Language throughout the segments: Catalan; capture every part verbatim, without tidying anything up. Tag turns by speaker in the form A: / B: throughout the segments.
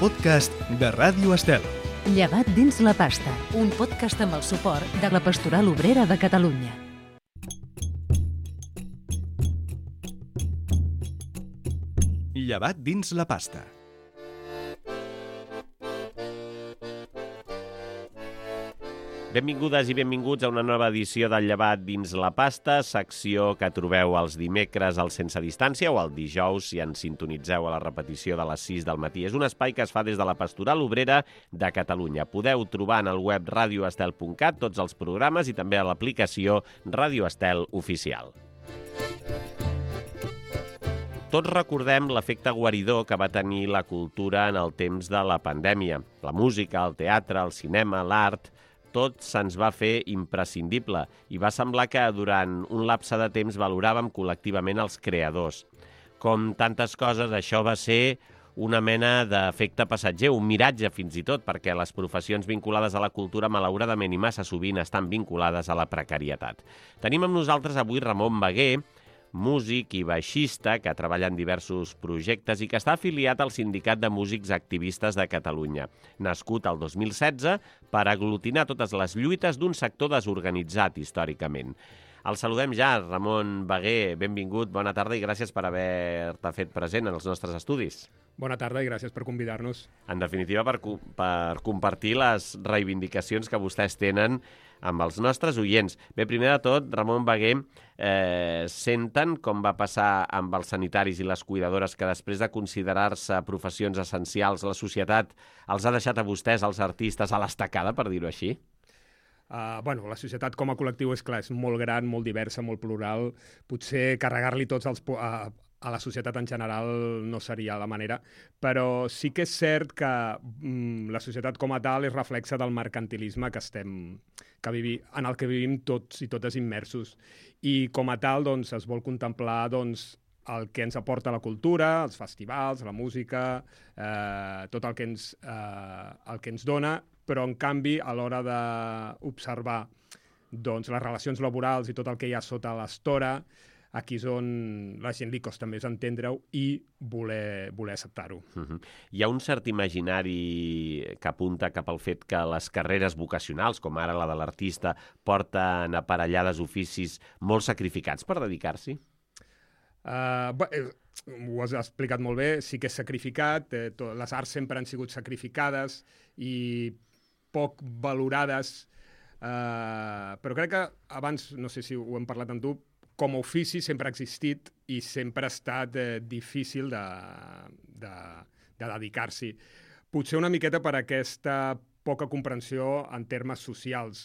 A: podcast de Ràdio Estel.
B: Llevat dins la pasta, un podcast amb el suport de la Pastoral Obrera de Catalunya.
A: Llevat dins la pasta.
C: Benvingudes i benvinguts a una nova edició del Llevat dins la pasta, secció que trobeu els dimecres al Sense Distància o el dijous si ens sintonitzeu a la repetició de les sis del matí. És un espai que es fa des de la Pastoral Obrera de Catalunya. Podeu trobar en el web radio estel punt cat tots els programes i també a l'aplicació Ràdio Estel Oficial. Tots recordem l'efecte guaridor que va tenir la cultura en el temps de la pandèmia. La música, el teatre, el cinema, l'art... tot se'ns va fer imprescindible i va semblar que durant un lapse de temps valoràvem col·lectivament els creadors. Com tantes coses, això va ser una mena d'efecte passatger, un miratge fins i tot, perquè les professions vinculades a la cultura malauradament i massa sovint estan vinculades a la precarietat. Tenim amb nosaltres avui Ramon Bagué, músic i baixista que treballa en diversos projectes i que està afiliat al Sindicat de Músics Activistes de Catalunya, nascut el dos mil setze per aglutinar totes les lluites d'un sector desorganitzat històricament. El saludem ja, Ramon Bagué, benvingut, bona tarda i gràcies per haver-te fet present en els nostres estudis.
D: Bona tarda i gràcies per convidar-nos.
C: En definitiva, per, per compartir les reivindicacions que vostès tenen amb els nostres oients. Bé, primer de tot, Ramon Bagué, eh, senten com va passar amb els sanitaris i les cuidadores que després de considerar-se professions essencials, la societat els ha deixat a vostès, els artistes, a l'estacada, per dir-ho així?
D: Uh, bueno, la societat com a col·lectiu és clar, és molt gran, molt diversa, molt plural. Potser carregar-li tots els... Uh, a la societat en general no seria la manera, però sí que és cert que mm, la societat com a tal és reflexa del mercantilisme que estem, que vivi, en el que vivim tots i totes immersos. I com a tal doncs, es vol contemplar doncs, el que ens aporta la cultura, els festivals, la música, eh, tot el que, ens, eh, el que ens dona, però en canvi a l'hora d'observar doncs, les relacions laborals i tot el que hi ha sota l'estora, aquí és on la gent li costa més entendre-ho i voler, voler acceptar-ho.
C: Uh-huh. Hi ha un cert imaginari que apunta cap al fet que les carreres vocacionals, com ara la de l'artista, porten aparellades oficis molt sacrificats per dedicar-s'hi?
D: Uh, bé, ho has explicat molt bé, sí que és sacrificat, eh, to, les arts sempre han sigut sacrificades i poc valorades, uh, però crec que abans, no sé si ho hem parlat amb tu, com a ofici sempre ha existit i sempre ha estat eh, difícil de, de, de dedicar-s'hi. Potser una miqueta per aquesta poca comprensió en termes socials.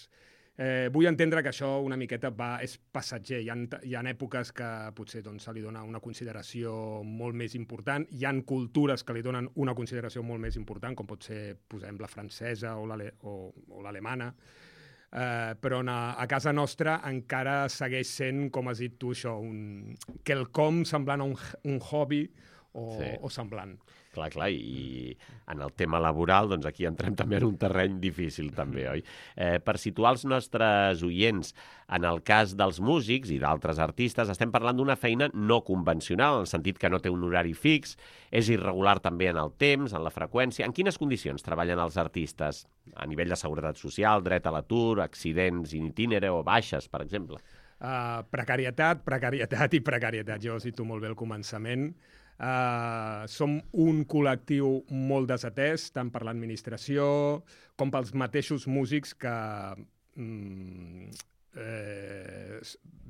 D: Eh, vull entendre que això una miqueta va, és passatger. Hi ha, hi ha èpoques que potser doncs, se li dona una consideració molt més important. Hi ha cultures que li donen una consideració molt més important, com pot ser, posem, la francesa o l'alemana. Uh, però a, a casa nostra encara segueix sent, com has dit tu, això, un, quelcom semblant a un, un hobby o, sí. o semblant.
C: Clar, clar, i en el tema laboral, doncs aquí entrem també en un terreny difícil, també, oi? Eh, per situar els nostres oients, en el cas dels músics i d'altres artistes, estem parlant d'una feina no convencional, en el sentit que no té un horari fix, és irregular també en el temps, en la freqüència. En quines condicions treballen els artistes? A nivell de seguretat social, dret a l'atur, accidents in itinere o baixes, per exemple?
D: Uh, precarietat, precarietat i precarietat. Jo ho cito molt bé al començament. Uh, som un col·lectiu molt desatès, tant per l'administració com pels mateixos músics que mm, eh,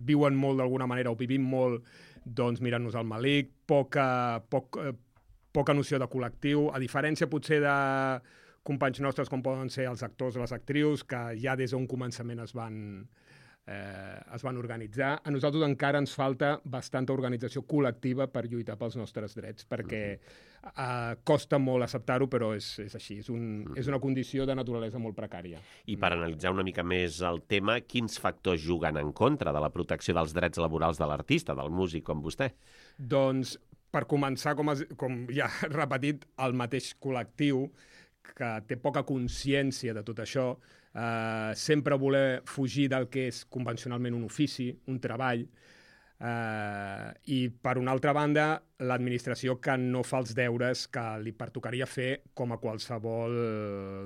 D: viuen molt d'alguna manera o vivim molt doncs, mirant-nos al malic, poca, poc, eh, poca noció de col·lectiu, a diferència potser de companys nostres com poden ser els actors o les actrius que ja des d'un començament es van... Eh, es van organitzar. A nosaltres encara ens falta bastanta organització col·lectiva per lluitar pels nostres drets, perquè eh, costa molt acceptar-ho, però és, és així, és, un, és una condició de naturalesa molt precària.
C: I per analitzar una mica més el tema, quins factors juguen en contra de la protecció dels drets laborals de l'artista, del músic com vostè?
D: Doncs, per començar, com, has, com ja he repetit, el mateix col·lectiu que té poca consciència de tot això, eh, sempre voler fugir del que és convencionalment un ofici, un treball, Uh, I, per una altra banda, l'administració que no fa els deures que li pertocaria fer com a qualsevol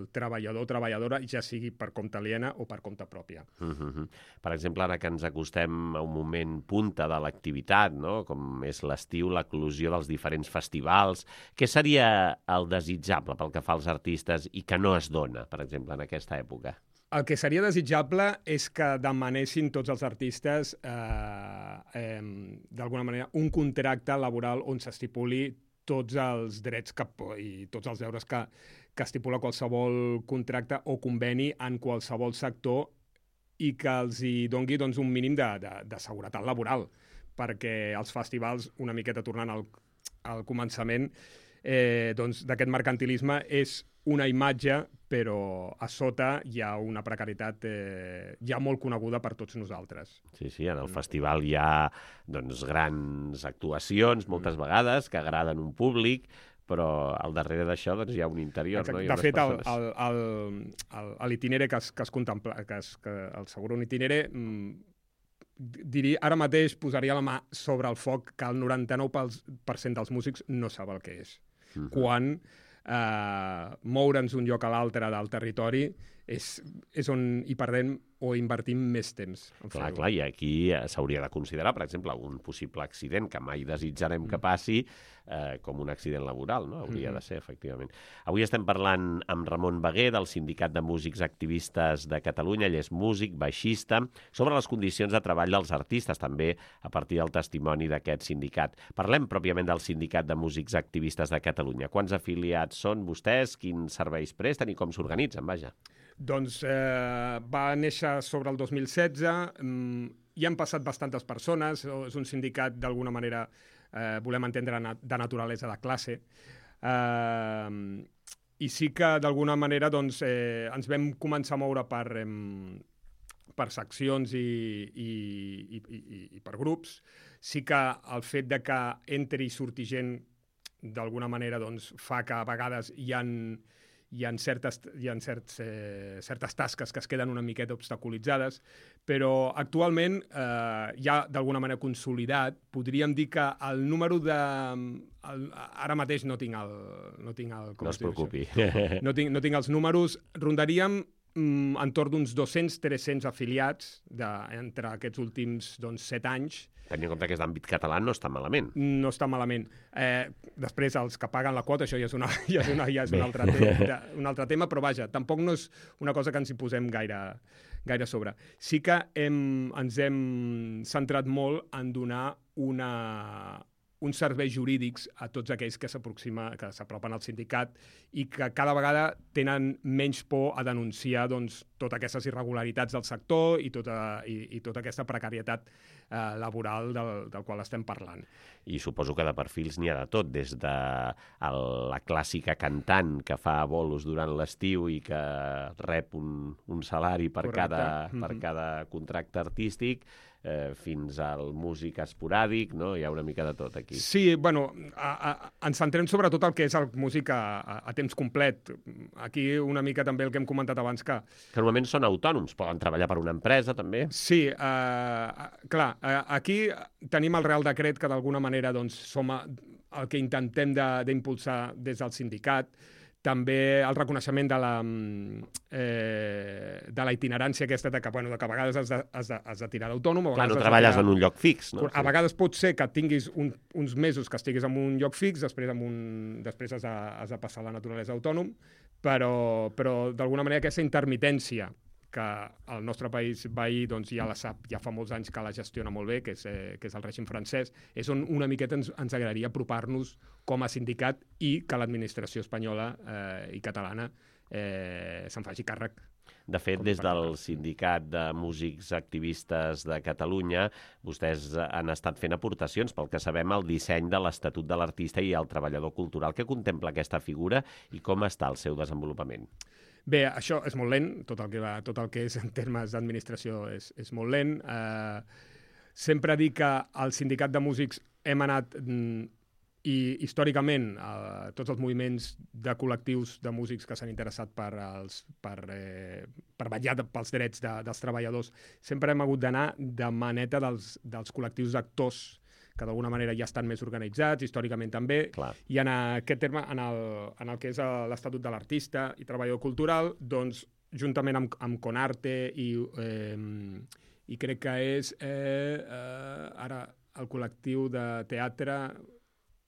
D: treballador o treballadora, ja sigui per compte aliena o per compte pròpia.
C: Uh-huh. Per exemple, ara que ens acostem a un moment punta de l'activitat, no? Com és l'estiu, l'eclosió dels diferents festivals, què seria el desitjable pel que fa als artistes i que no es dona, per exemple, en aquesta època?
D: El que seria desitjable és que demanessin tots els artistes, eh, eh, d'alguna manera, un contracte laboral on s'estipuli tots els drets que, i tots els deures que, que estipula qualsevol contracte o conveni en qualsevol sector i que els hi dongui doncs, un mínim de, de, de seguretat laboral, perquè els festivals, una miqueta tornant al, al començament, eh, doncs, d'aquest mercantilisme és una imatge, però a sota hi ha una precarietat eh, ja molt coneguda per tots nosaltres.
C: Sí, sí, en el festival hi ha doncs, grans actuacions, moltes vegades, que agraden un públic, però al darrere d'això doncs, hi ha un interior.
D: Exacte.
C: No? Hi ha
D: de fet,
C: persones...
D: el, el, el, el, l'itinere que es, que es contempla, que es, que el seguro un itinere, diria, ara mateix posaria la mà sobre el foc que el noranta-nou per cent dels músics no sap el que és. Uh-huh. Quan Uh, moure'ns d'un lloc a l'altre del territori és, és on hi perdem o invertim més temps.
C: Clar, clar, i aquí s'hauria de considerar, per exemple, un possible accident que mai desitjarem que passi eh, com un accident laboral, no? Hauria de ser, efectivament. Avui estem parlant amb Ramon Beguer, del Sindicat de Músics Activistes de Catalunya. Ell és músic, baixista, sobre les condicions de treball dels artistes, també a partir del testimoni d'aquest sindicat. Parlem pròpiament del Sindicat de Músics Activistes de Catalunya. Quants afiliats són vostès? Quins serveis presten i com s'organitzen? Vaja.
D: Doncs eh, va néixer sobre el dos mil setze, mm, hi han passat bastantes persones, és un sindicat d'alguna manera, eh, volem entendre, de naturalesa de classe, eh, i sí que d'alguna manera doncs, eh, ens vam començar a moure per, eh, per seccions i, i, i, i, i per grups. Sí que el fet de que entri i surti gent d'alguna manera doncs, fa que a vegades hi ha hi ha, certes, hi ha certs, eh, certes tasques que es queden una miqueta obstaculitzades, però actualment eh, ja d'alguna manera consolidat, podríem dir que el número de... El, ara mateix no tinc el... No, tinc el,
C: no es preocupi.
D: No tinc, no tinc els números. Rondaríem mm, entorn d'uns dos-cents a tres-cents afiliats de, entre aquests últims doncs, set anys.
C: Tenint en compte que és d'àmbit català, no està malament.
D: No està malament. Eh, després, els que paguen la quota, això ja és, una, ja és, una, ja és un, altre tema, un altre tema, però vaja, tampoc no és una cosa que ens hi posem gaire, gaire a sobre. Sí que hem, ens hem centrat molt en donar una, uns serveis jurídics a tots aquells que s'aproxima, que s'apropen al sindicat i que cada vegada tenen menys por a denunciar doncs, totes aquestes irregularitats del sector i tota, i, i tota aquesta precarietat eh, laboral del, del qual estem parlant.
C: I suposo que de perfils n'hi ha de tot, des de el, la clàssica cantant que fa bolos durant l'estiu i que rep un, un salari per cada, mm-hmm. per cada contracte artístic, eh, fins al músic esporàdic, no? Hi ha una mica de tot aquí.
D: Sí, bueno, a, a, ens centrem sobretot el que és el músic a, a, a temps complet. Aquí una mica també el que hem comentat abans que...
C: Que normalment són autònoms, poden treballar per una empresa també.
D: Sí, eh, clar, eh, aquí tenim el Real Decret que d'alguna manera doncs, som a, el que intentem d'impulsar de, des del sindicat. També el reconeixement de la, eh, de la itinerància aquesta de que, bueno, de que a vegades has de, has de, has de tirar d'autònom.
C: Clar, no treballes tirar... en un lloc fix, no?
D: A vegades pot ser que tinguis un, uns mesos que estiguis en un lloc fix, després, en un, després has, de, has de passar a la naturalesa autònom, però, però d'alguna manera aquesta intermitència que el nostre país veí doncs, ja la sap, ja fa molts anys que la gestiona molt bé, que és, eh, que és el règim francès, és on una miqueta ens, ens agradaria apropar-nos com a sindicat i que l'administració espanyola eh, i catalana eh, se'n faci càrrec.
C: De fet, des del Sindicat de Músics Activistes de Catalunya, vostès han estat fent aportacions, pel que sabem, al disseny de l'Estatut de l'Artista i el Treballador Cultural. Què contempla aquesta figura i com està el seu desenvolupament?
D: Bé, això és molt lent, tot el que, va, tot el que és en termes d'administració és, és molt lent. Eh, sempre dic que al Sindicat de Músics hem anat mm, i històricament eh, tots els moviments de col·lectius de músics que s'han interessat per, els, per, eh, per vetllar pels drets de, dels treballadors sempre hem hagut d'anar de maneta dels, dels col·lectius d'actors que d'alguna manera ja estan més organitzats, històricament també,
C: Clar.
D: i en aquest terme, en el, en el que és l'Estatut de l'Artista i Treballador Cultural, doncs, juntament amb, amb Conarte i, eh, i crec que és eh, eh, ara el col·lectiu de teatre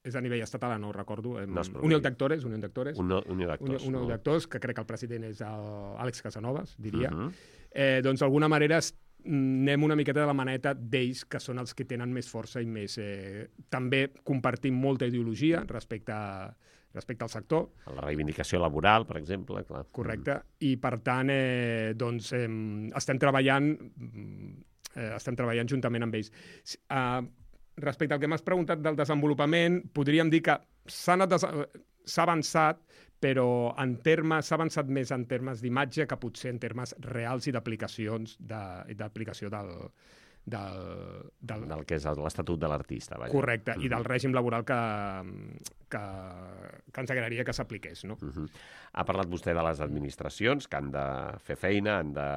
D: és a nivell estatal, no ho recordo, eh,
C: No es preocupi.
D: Unió d'actors, Unió d'actors,
C: Un, un d'actors.
D: Unió d'actors, que crec que el president és l'Àlex Casanovas, diria.
C: Uh -huh.
D: eh, doncs d'alguna manera anem una miqueta de la maneta d'ells, que són els que tenen més força i més... Eh, també compartim molta ideologia respecte, a, respecte al sector.
C: La reivindicació laboral, per exemple. Clar.
D: Correcte. I, per tant, eh, doncs, eh, estem treballant eh, estem treballant juntament amb ells. Eh, respecte al que m'has preguntat del desenvolupament, podríem dir que s'ha avançat, però en termes s'ha avançat més en termes d'imatge que potser en termes reals i d'aplicacions de, d'aplicació del, del, del...
C: del que és l'Estatut de l'Artista. Vaja.
D: Correcte,
C: uh-huh.
D: i del règim laboral que, que, que ens agradaria que s'apliqués. No?
C: Uh-huh. Ha parlat vostè de les administracions, que han de fer feina, han de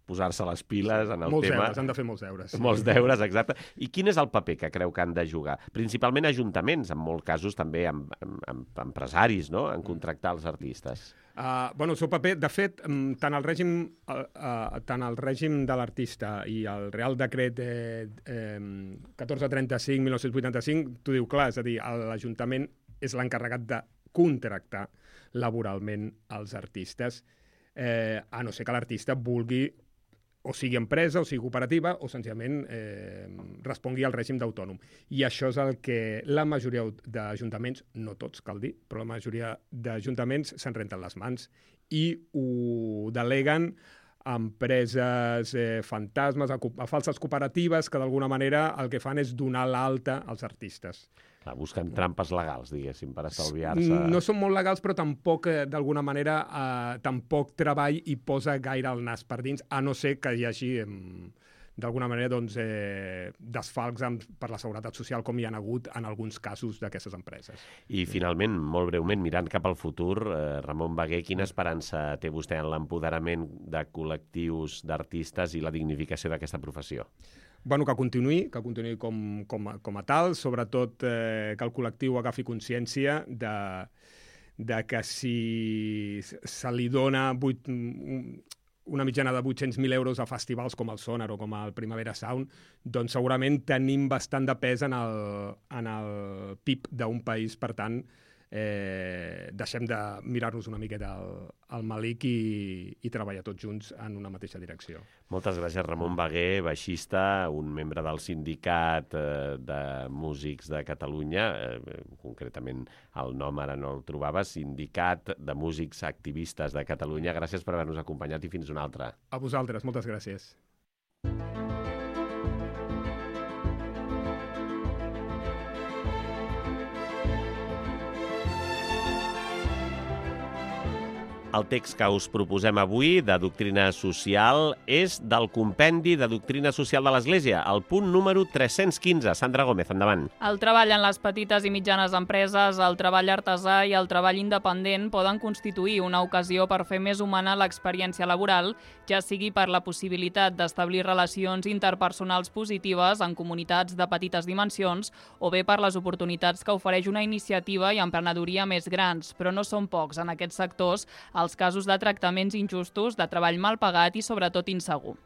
C: posar-se les piles en el
D: molts
C: tema.
D: Deures, han de fer molts deures. Sí.
C: Molts deures, exacte. I quin és el paper que creu que han de jugar? Principalment ajuntaments, en molts casos també amb, amb, amb empresaris, no?, en contractar els artistes.
D: Uh, bueno, el seu paper, de fet, tant el règim, uh, uh, tant el règim de l'artista i el Real Decret eh, eh, catorze trenta-cinc mil nou-cents vuitanta-cinc, t'ho diu clar, és a dir, l'Ajuntament és l'encarregat de contractar laboralment els artistes, eh, a no ser que l'artista vulgui o sigui empresa, o sigui cooperativa, o senzillament eh, respongui al règim d'autònom. I això és el que la majoria d'ajuntaments, no tots, cal dir, però la majoria d'ajuntaments se'n renten les mans i ho deleguen a empreses eh, fantasmes, a, a falses cooperatives, que d'alguna manera el que fan és donar l'alta als artistes.
C: Clar, busquen trampes legals, diguéssim, per estalviar-se...
D: No són molt legals, però tampoc, eh, d'alguna manera, eh, tampoc treball i posa gaire el nas per dins, a no ser que hi hagi, eh, d'alguna manera, doncs, eh, desfalcs amb, per la seguretat social, com hi ha hagut en alguns casos d'aquestes empreses.
C: I, finalment, molt breument, mirant cap al futur, eh, Ramon Bagué, quina esperança té vostè en l'empoderament de col·lectius d'artistes i la dignificació d'aquesta professió?
D: Bueno, que continuï, que continuï com, com, a, com a tal, sobretot eh, que el col·lectiu agafi consciència de, de que si se li dona vuit, una mitjana de vuit-cents mil euros a festivals com el Sonar o com el Primavera Sound, doncs segurament tenim bastant de pes en el, en el P I B d'un país, per tant, eh, deixem de mirar-nos una miqueta al, al malic i, i treballar tots junts en una mateixa direcció.
C: Moltes gràcies, Ramon Bagué, baixista, un membre del Sindicat eh, de Músics de Catalunya, eh, concretament el nom ara no el trobava, Sindicat de Músics Activistes de Catalunya. Gràcies per haver-nos acompanyat i fins una altra.
D: A vosaltres, moltes gràcies.
C: El text que us proposem avui, de doctrina social, és del Compendi de Doctrina Social de l'Església, el punt número tres-cents quinze. Sandra Gómez, endavant.
E: El treball en les petites i mitjanes empreses, el treball artesà i el treball independent poden constituir una ocasió per fer més humana l'experiència laboral, ja sigui per la possibilitat d'establir relacions interpersonals positives en comunitats de petites dimensions o bé per les oportunitats que ofereix una iniciativa i emprenedoria més grans, però no són pocs en aquests sectors els casos de tractaments injustos, de treball mal pagat i sobretot insegur.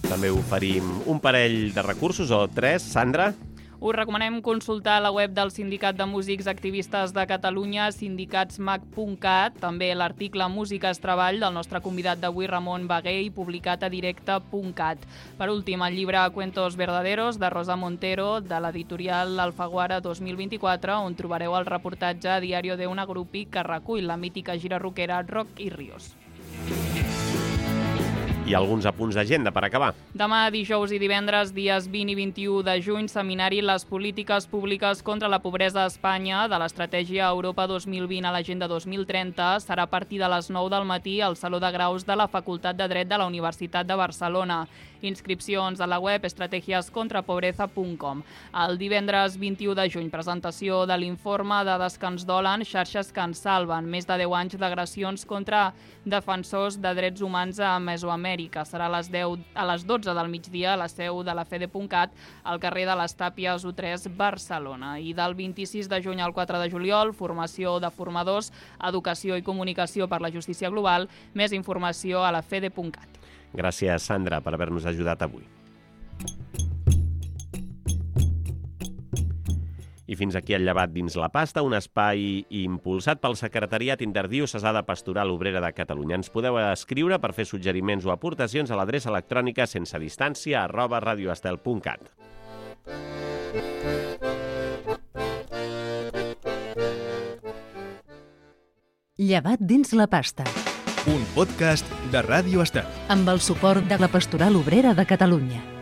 C: També oferim un parell de recursos, o tres, Sandra?
E: Us recomanem consultar la web del Sindicat de Músics Activistes de Catalunya, sindicatsmac punt cat, també l'article Música és treball del nostre convidat d'avui, Ramon Bagué, i publicat a directe punt cat. Per últim, el llibre Cuentos Verdaderos, de Rosa Montero, de l'editorial Alfaguara dos mil vint-i-quatre, on trobareu el reportatge Diario de una Grupi que recull la mítica gira rockera Rock i Ríos.
C: I alguns apunts d'agenda per acabar.
E: Demà, dijous i divendres, dies vint i vint-i-u de juny, seminari Les polítiques públiques contra la pobresa a Espanya de l'estratègia Europa dos mil vint a l'Agenda dos mil trenta. Serà a partir de les nou del matí al Saló de Graus de la Facultat de Dret de la Universitat de Barcelona. Inscripcions a la web estrategias contra pobreza punt com. El divendres vint-i-u de juny, presentació de l'informe Dades que ens dolen, xarxes que ens salven. Més de deu anys d'agressions contra defensors de drets humans a Mesoamèrica. Serà a les, deu, a les dotze del migdia a la seu de la fede punt cat, al carrer de les Tàpies u tres, Barcelona. I del vint-i-sis de juny al quatre de juliol, formació de formadors, educació i comunicació per la justícia global. Més informació a la fede punt cat.
C: Gràcies, Sandra, per haver-nos ajudat avui. I fins aquí el Llevat dins la pasta, un espai impulsat pel Secretariat Interdiocesà de Pastoral Obrera de Catalunya. Ens podeu escriure per fer suggeriments o aportacions a l'adreça electrònica sense distància arroba radioestel punt cat.
B: Llevat dins la pasta.
A: Un podcast de Ràdio Estel.
B: Amb el suport de la Pastoral Obrera de Catalunya.